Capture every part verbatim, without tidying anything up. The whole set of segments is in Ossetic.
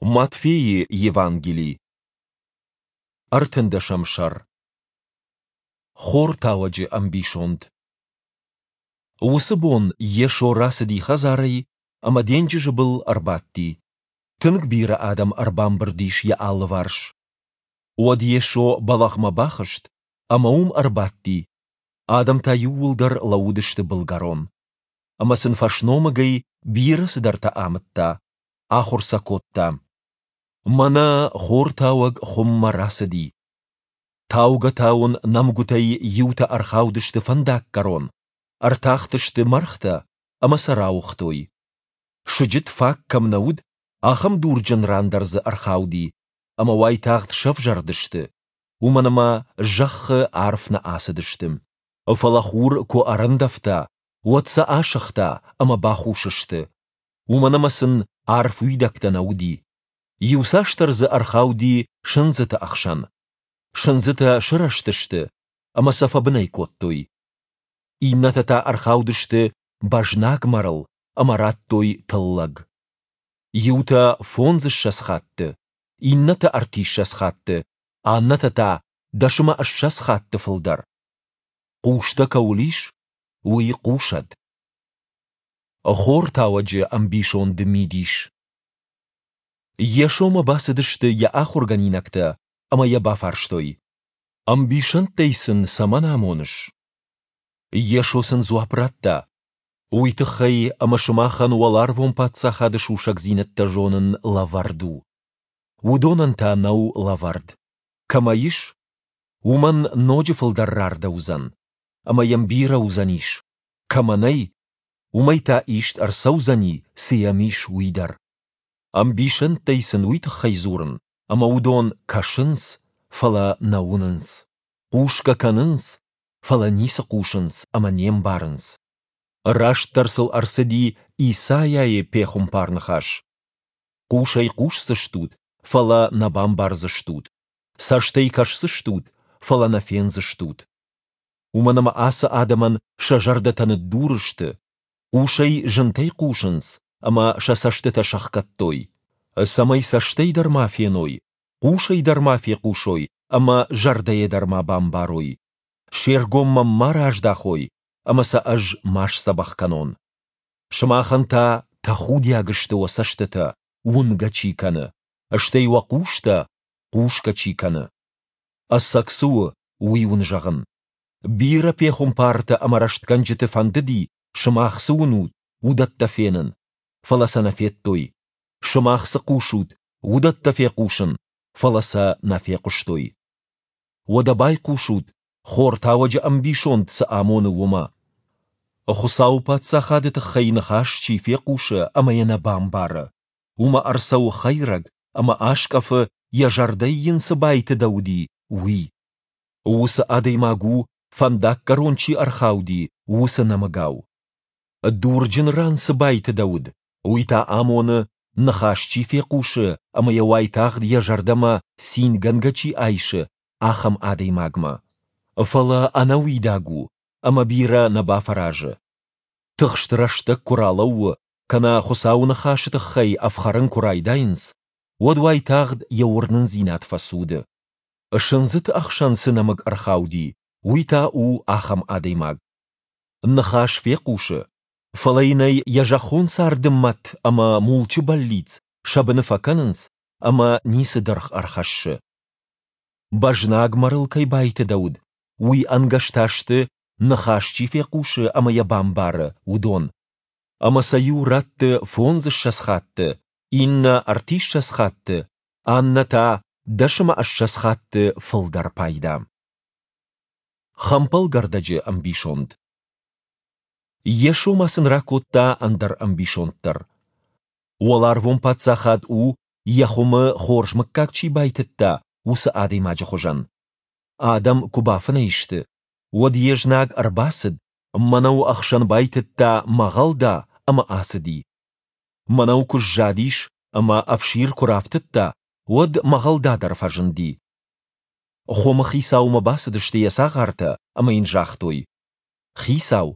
Матфейы Евангели, ӕртындӕсӕм сӕр. Хортауӕджы ӕмбисонд. Уыцы бон Йесо рацыди хӕдзарӕй ӕмӕ денджызы был ӕрбадти. Тынг бирӕ адӕм ӕрбамбырд ис йӕ алыварс. Уӕд Йесо бӕлӕгъмӕ бахызт ӕмӕ уым ӕрбадти. Адӕм та иууылдӕр лӕууыдысты былгӕрон. Ӕмӕ сын фӕсномыгӕй бирӕ цыдӕртӕ амыдта, ахуыр сӕ кодта. Мӕнӕ хортауӕг хуыммӕ рацыди. Таугӕ-тауын нӕмгуытӕй иутӕ ӕрхаудысты фӕндаггӕрон, ӕртахтысты мӕргътӕ ӕмӕ сӕ рауыгътой. Сыджыт фаг кӕм нӕ уыд, ахӕм дурджын ран дӕр дзы ӕрхауди, ӕмӕ уайтагъд сӕвзӕрдысты, уымӕн ӕмӕ зӕххы арф нӕ ацыдысты. Фӕлӕ хур куы ӕрӕндӕвта, уӕд сӕ асыгъта ӕмӕ бахус сты, уымӕн ӕмӕ сын арф уидӕгтӕ нӕ уыди. Иуцасдӕр дзы ӕрхауди сындзыты ӕхсӕн. Сындзытӕ сырӕзтысты ӕмӕ сӕ фӕбынӕй кодтой. Иннӕтӕ та ӕрхаудысты бӕзнаг мӕрыл ӕмӕ радтой тыллӕг. Иутӕ фондзыссӕдз хатты, иннӕтӕ ӕртиссӕдз хатты, аннӕтӕ та дӕс ӕмӕ ссӕдз хатты фылдӕр. Хъустӕ кӕуыл ис, уый хъусӕд. Хортауӕджы ӕмбисонды мидис. Йесомӕ бацыдысты йӕ ахуыргӕнинӕгтӕ ӕмӕ йӕ бафарстой: Ӕмбисӕндтӕй сын цӕмӕн амоныс? Йесо сын дзуапп радта: Уый тыххӕй, ӕмӕ сымахӕн уӕларвон паддзахады сусӕгдзинӕдтӕ зонын лӕвӕрд у. Уыдонӕн та нӕу лӕвӕрд. Кӕмӕ ис, уымӕн ноджы фылдӕр рардӕуыдзӕн, ӕмӕ йӕм бирӕ уыдзӕнис, кӕмӕ нӕй, уымӕй та ист ӕрцӕудзӕни, цы йӕм ис, уый дӕр. Ӕмбисӕндтӕй сын уый тыххӕй дзурын, ӕмӕ уыдон кӕсынц, фӕлӕ нӕ уынынц, хъусгӕ кӕнынц, фӕлӕ ницы хъусынц ӕмӕ не мбарынц. Растдӕр сыл ӕрцыди Исайайы пехуымпар-ныхас: Хъусӕй хъусдзыстут, фӕлӕ нӕ бамбардзыстут, цӕстӕй кӕсдзыстут, фӕлӕ нӕ фендзыстут. Уымӕн ӕмӕ ацы адӕмӕн сӕ зӕрдӕтӕ ныддур сты, хъусӕй зынтӕй хъусынц ӕмӕ сӕ цӕстытӕ сӕхгӕдтой, цӕмӕй цӕстӕй дӕр ма феной, хъусӕй дӕр ма фехъусой ӕмӕ зӕрдӕйӕ дӕр ма бамбарой, се ргом мӕм ма раздахой ӕмӕ сӕ ӕз ма сдзӕбӕх кӕнон. Сымахӕн та тӕхудиаг сты уӕ цӕстытӕ, уынгӕ чи кӕны, стӕй уӕ хъустӕ, хъусгӕ чи кӕны. Ӕцӕг цы у, уый уын зӕгъын. Бирӕ пехуымпартӕ ӕмӕ рӕстгӕнджыты фӕндыди, сымах цы уынут, уыдӕттӕ фенын, фӕлӕ сӕ нӕ федтой. Сымах цы хъусут, уыдӕттӕ фехъусын, фӕлӕ сӕ нӕ фехъуыстой. Уӕдӕ байхъусут, хортауӕджы ӕмбисонд цы амоны, уымӕ. Хуыцауы Паддзахады тыххӕй ныхас чи фехъусы ӕмӕ йӕ нӕ бамбары, уымӕ ӕрцӕуы хӕйрӕг ӕмӕ аскъӕфы, йӕ зӕрдӕйы йын цы байтыдӕуыди, уый. Уыцы адӕймаг у, фӕндаггӕрон чи ӕрхауди, уыцы нӕмыгау. Дурджын ран цы байтыдӕуыд, уый та амоны, ныхас чи фехъусы ӕмӕ йӕ уайтагъд йӕ зӕрдӕмӕ цингӕнгӕ чи айсы, ахӕм адӕймагмӕ. Фӕлӕ ӕнӕуидаг у ӕмӕ бирӕ нӕ бафӕразы. Тыхст рӕстӕг куы ралӕууы кӕнӕ Хуыцауы ныхасы тыххӕй ӕфхӕрын куы райдайынц, уӕд уайтагъд йӕ уырнындзинад фӕцуды. Сындзыты ӕхсӕн цы нӕмыг ӕрхауди, уый та у ахӕм адӕймаг. Ныхас фехъусы, фӕлӕ йын ӕй йӕ зӕххон царды мӕт ӕмӕ мулчы бӕллиц сӕ быны фӕкӕнынц ӕмӕ ницы дыргъ ӕрхӕссы. Бӕзнаг мӕрыл кӕй байтыдӕуыд, уый ӕнгӕс та сты, ныхас чи фехъусы ӕмӕ йӕ бамбары, уыдон. Ӕмӕ сӕ иу ратты фондзыссӕдз хатты, иннӕ ӕртиссӕдз хатты, аннӕ та дӕс ӕмӕ ссӕдз хатты фылдӕр пайда. Хӕмпӕлгӕрдӕджы ӕмбисонд. Йесо ма сын ракодта ӕндӕр ӕмбисонд дӕр. Уӕларвон паддзахад у, йӕ хуымы хорз мыггаг чи байтыдта, уыцы адӕймаджы хуызӕн. Адӕм куы бафынӕй сты, уӕд йе знаг ӕрбацыд, мӕнӕуы ӕхсӕн байтыдта мӕгъӕлда ӕмӕ ацыди. Мӕнӕу куы сзадис ӕмӕ ӕфсир куы рафтыдта, уӕд мӕгъӕлда дӕр фӕзынди. Хуымы хицаумӕ бацыдысты йӕ цагъартӕ ӕмӕ йын загътой: Хицау,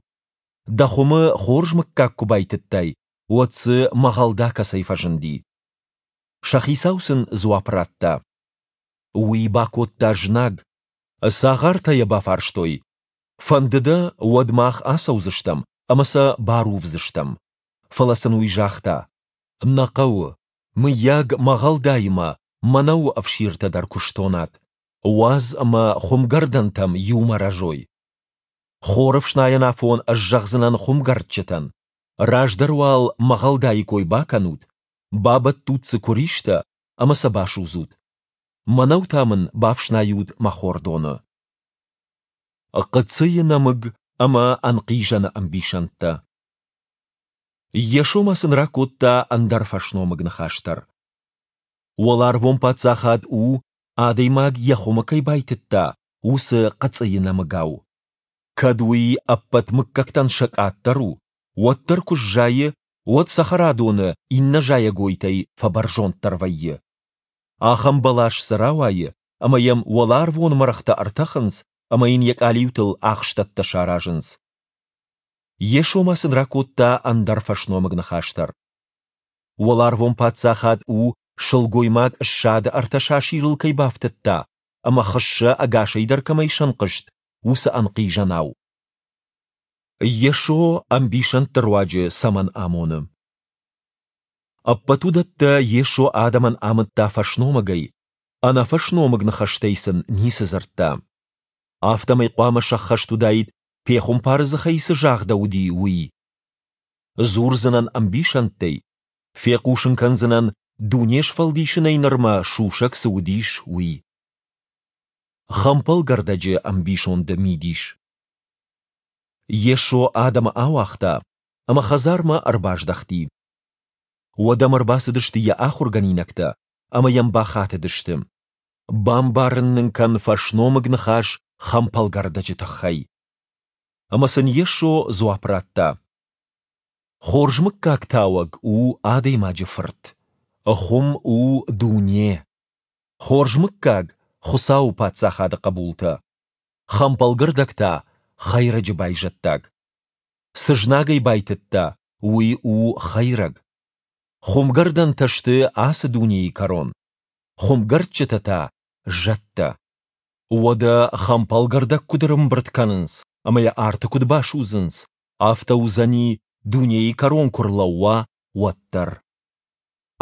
дӕ хуымы хорз мыггаг куы байтыдтай, уӕд дзы мӕгъӕлда кӕцӕй фӕзынди? Сӕ хицау сын дзуапп радта: Уый бакодта знаг. Цагъартӕ йӕ бафарстой: Фӕнды дӕ, уӕд мах ацӕудзыстӕм ӕмӕ сӕ барувдзыстӕм? Фӕлӕ сын уый загъта: Нӕ хъӕуы, мыййаг, мӕгъӕлдаимӕ мӕнӕуы ӕфсиртӕ дӕр куы стонат. Уадз ӕмӕ хуымгӕрдӕнтӕм иумӕ рӕзой. Хорӕфснайӕн афон ӕз зӕгъдзынӕн хуымгӕрдджытӕн: Раздӕр уал мӕгъӕлдайы кой бакӕнут, бабӕттут дзы куыристӕ ӕмӕ сӕ басудзут. Мӕнӕу та мын бафснайут мӕ хордоны. Хъыцъыйы нӕмыг ӕмӕ ӕнхъизӕны ӕмбисӕндтӕ. Йесо ма сын ракодта ӕндӕр фӕсномыг ныхас дӕр. Уӕларвон паддзахад у, адӕймаг йӕ хуымы кӕй байтыдта, уыцы хъыцъыйы нӕмыгау. Кӕд уый ӕппӕт мыггӕгтӕн сӕ къаддӕр у, уӕддӕр куы сзайы, уӕд цӕхӕрадоны иннӕ зайӕгойтӕй фӕбӕрзонддӕр вӕййы. Ахӕм бӕлас дзы рауайы, ӕмӕ йӕм уӕларвон мӕргътӕ ӕртӕхынц ӕмӕ йын йӕ къалиутыл ахстӕттӕ саразынц. Йесо ма сын ракодта ӕндӕр фӕсномыг ныхас дӕр. Уӕларвон паддзахад у, сылгоймаг ссады ӕртӕ сасирыл кӕй бафтыдта ӕмӕ хыссӕ ӕгасӕй дӕр кӕмӕй сӕнхъызт, уыцы ӕнхъизӕнау. Йесо ӕмбисӕндты руаджы цӕмӕн амоны? Ӕппӕт уыдӕттӕ Йесо адӕмӕн амыдта фӕсномыгӕй, ӕнӕфӕсномыг ныхӕстӕй сын ницы дзырдта. Афтӕмӕй хъуамӕ сӕххӕст уыдаид, пехуымпары дзыхӕй цы загъдӕуыди, уый. Дзурдзынӕн ӕмбисӕндтӕй, фехъусын кӕндзынӕн, дуне сфӕлдисынӕй нырмӕ сусӕг цы уыдис, уый. Хӕмпӕлгӕрдӕджы ӕмбисонды мидис. Йесо адӕмы ауагъта ӕмӕ хӕдзармӕ ӕрбаздӕхти. Уӕд ӕм ӕрбацыдысты йӕ ахуыргӕнинӕгтӕ ӕмӕ йӕм бахатыдысты: Бамбарын нын кӕн фӕсномыг ныхас хӕмпӕлгӕрдӕджы тыххӕй. Ӕмӕ сын Йесо дзуапп радта: Хорз мыггаг тауӕг у Адӕймаджы Фырт. Хуым у дуне. Хорз мыггаг Хуыцауы паддзахады хъӕбултӕ. Хӕмпӕлгӕрдӕг та хӕйрӕджы байзӕддаг. Цы знаг ӕй байтыдта, уый у хӕйрӕг. Хуымгӕрдӕнтӕ сты ацы дунейы кӕрон, хуымгӕрдджытӕ та зӕдтӕ. Уӕдӕ хӕмпӕлгӕрдӕг куыд ӕрӕмбырд кӕнынц ӕмӕ йӕ арты куыд басудзынц, афтӕ уыдзӕни, дунейы кӕрон куы рлӕууа, уӕд дӕр.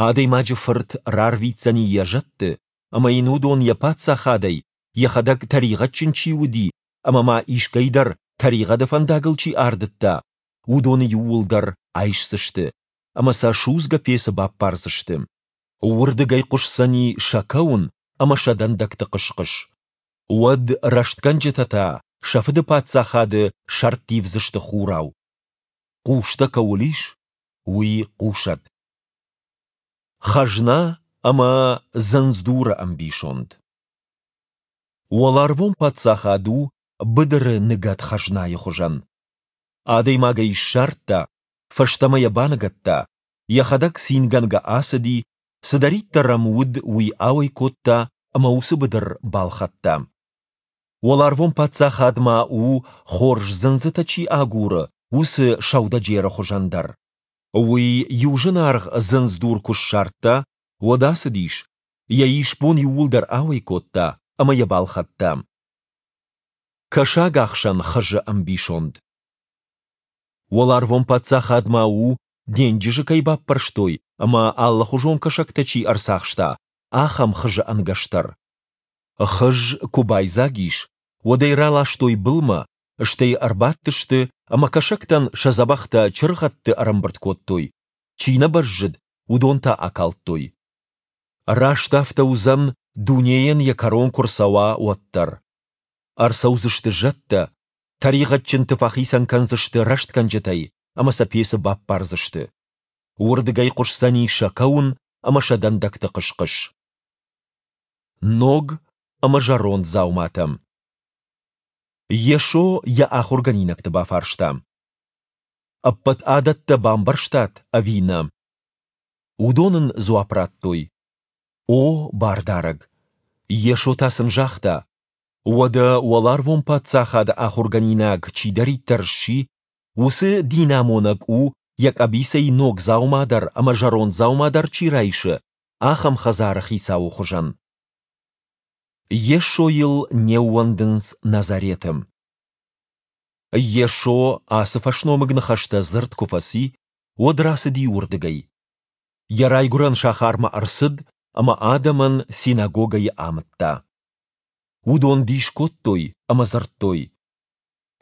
Адӕймаджы Фырт рарвитдзӕни йӕ зӕдты, ӕмӕ йын уыдон йӕ паддзахадӕй, йӕхӕдӕг тӕригъӕдджын чи уыди ӕмӕ ма искӕй дӕр тӕригъӕды фӕндагыл чи ардыдта, уыдоны иууылдӕр айсдзысты ӕмӕ сӕ судзгӕ пецы баппардзысты. Уырдыгӕй хъуысдзӕни сӕ кӕуын ӕмӕ сӕ дӕндӕгты хъыс-хъыс. Уӕд рӕстгӕнджытӕ та сӕ Фыды паддзахады сӕрттивдзысты хурау. Хъустӕ кӕуыл ис, уый хъусӕд. Хӕзна ӕмӕ Дзындздуры ӕмбисонд. Уӕларвон паддзахад у быдыры ныгӕд хӕзнайы хуызӕн. Адӕймаг ӕй ссардта, фӕстӕмӕ йӕ баныгӕдта, йӕхӕдӕг цингӕнгӕ ацыди, цыдӕриддӕр ӕм уыд, уый ауӕй кодта ӕмӕ уыцы быдыр балхӕдта. Уӕларвон паддзахад ма у, хорз дзындзытӕ чи агуры, уыцы сӕудӕджеры хуызӕн дӕр. Уый иу зынаргъ дзындздур куы ссардта, уӕд ацыдис, йӕ исбон иууылдӕр ауӕй кодта ӕмӕ йӕ балхӕдта. Кӕсагахсӕн хызы ӕмбисонд. Уӕларвон паддзахад ма у, денджызы кӕй баппӕрстой ӕмӕ алыхуызон кӕсӕгтӕ чи ӕрцахста, ахӕм хызы ӕнгӕс дӕр. Хыз куы байдзаг ис, уӕд ӕй раластой былмӕ, стӕй ӕрбадтысты ӕмӕ кӕсӕгтӕн сӕ дзӕбӕхтӕ чыргъӕдты ӕрӕмбырд кодтой, чи нӕ бӕззыд, уыдон та акалдтой. Раст афтӕ уыдзӕн, дунейӕн йӕ кӕрон куы рцӕуа, уӕд дӕр. Ӕрцӕудзысты зӕдтӕ, тӕригъӕдджынты фӕхицӕн кӕндзысты рӕстгӕнджытӕй ӕмӕ сӕ пецы баппардзысты. Уырдыгӕй хъуысдзӕни сӕ кӕуын ӕмӕ сӕ дӕндӕгты хъыс-хъыс. Ног ӕмӕ зӕронд дзауматӕ. Йесо йӕ ахуыргӕнинӕгты бафарста: Ӕппӕт адӕттӕ бамбӕрстат ӕви нӕ? Уыдон ын дзуапп радтой: О, Бардарӕг! Йесо та сын загъта: Уӕдӕ уӕларвон паддзахады ахуыргӕнинаг чидӕриддӕр сси, уыцы динамонӕг у, йӕ къӕбицӕй ног дзаума дӕр ӕмӕ зӕронд дзаума дӕр чи райсы ахӕм хӕдзары хицауы хуызӕн. Йесойыл не ууӕндынц Назареты. Йесо ацы фӕсномыг ныхӕстӕ дзырд куы фӕци, уӕд рацыди уырдыгӕй. Йӕ райгуырӕн сахармӕ ӕрцыд ӕмӕ адӕмӕн синагогӕйы амыдта. Уыдон дис кодтой ӕмӕ дзырдтой: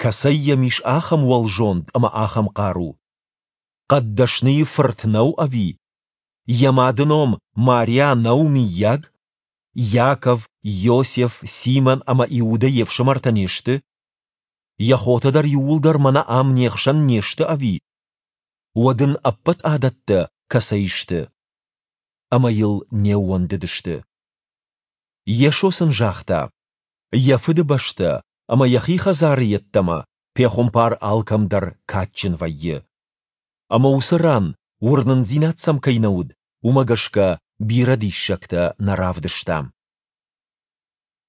Кӕцӕй йӕм ис ахӕм уӕлзонд ӕмӕ ахӕм хъару? Хъӕддӕсныйы фырт нӕу ӕви? Йӕ мады ном Мариа нӕу, мыййаг? Иаков, Иосиф, Симон ӕмӕ Иудӕ йе фсымӕртӕ не сты? Йӕ хотӕ дӕр иууылдӕр мӕнӕ ам не хсӕн не сты, ӕви? Уӕд ын ӕппӕт адӕттӕ кӕцӕй сты? Ӕмӕ йыл не ууӕндыдысты. Йесо сын загъта: Йӕ фыдыбӕстӕ ӕмӕ йӕхи хӕдзары йеддӕмӕ пехуымпар алкӕм дӕр кадджын вӕййы. Ӕмӕ уыцы ран, уырнындзинад сӕм кӕй нӕ уыд, уымӕ гӕсгӕ бирӕ диссӕгтӕ нӕ равдыста.